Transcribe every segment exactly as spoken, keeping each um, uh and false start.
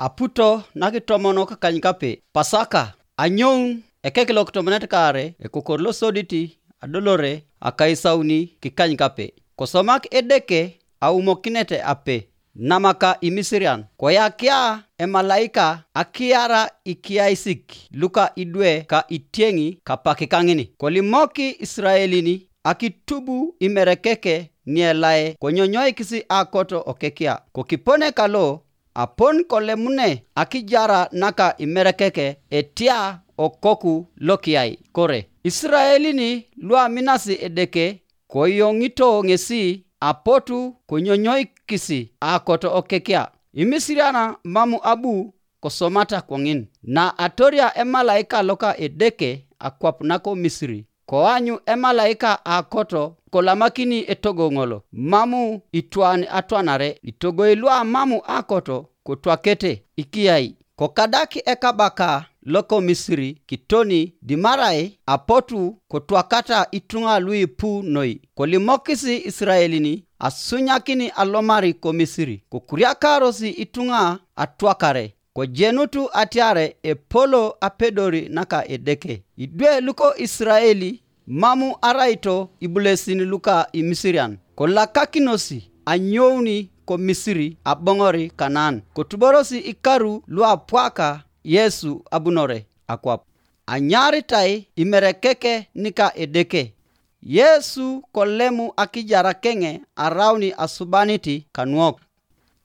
aputo nakitomono kakanykape pasaka anyong ekekilok tomonet kare ekokorlo soditi adolore akaisauni kikanykape kosomak edeke aumokinete ape namaka imisirian koyakia emalaika akiara ikiaisik luka idwe ka itiengi kapakikangini kolimoki Israelini akitubu imerekeke nielae konyonyoi kisi akoto okekia kokipone kalo apon kolemune akijara naka imerekeke etia okoku lokiai kore Israelini lua minasi edeke koyongito ngesi apotu konyonyoi kisi akoto okekia imisiriana mamu abu kosomata kwangin na atoria emalaika loka edeke akwapnako Misri koanyu emalaika akoto kolamakini etogongolo mamu itwan atwanare itogoilua mamu akoto kotwakete ikiai kokadaki ekabaka loko Misri kitoni dimarai apotu kotwakata itunga lui pu noi kolimokisi Israelini asunyakini alomari ko Misri kokuriakarosi itunga atwakare ko jenutu atiare epolo apedori naka edeke idwe luko Israeli mamu araito ibulesini luka imisirian ko lakakinosi anyoni ko Misri abongori Kanan ko tuborosi ikaru lua pwaka Yesu abunore akwap anyari tai imerekeke nika edeke Yesu kolemu akijara kenge arauni asubaniti kanuok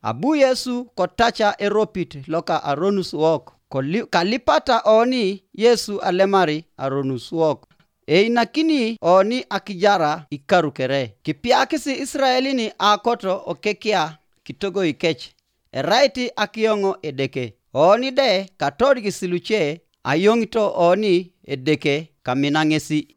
abu Yesu kotacha eropit loka aronus wok Koli, kalipata oni Yesu alemari aronus wok einakini oni akijara ikaru kere kipiakisi Israelini akoto okekia kitogo ikech eraiti akiongo edeke oni de katori kisiluche ayongito oni edeke kaminangesi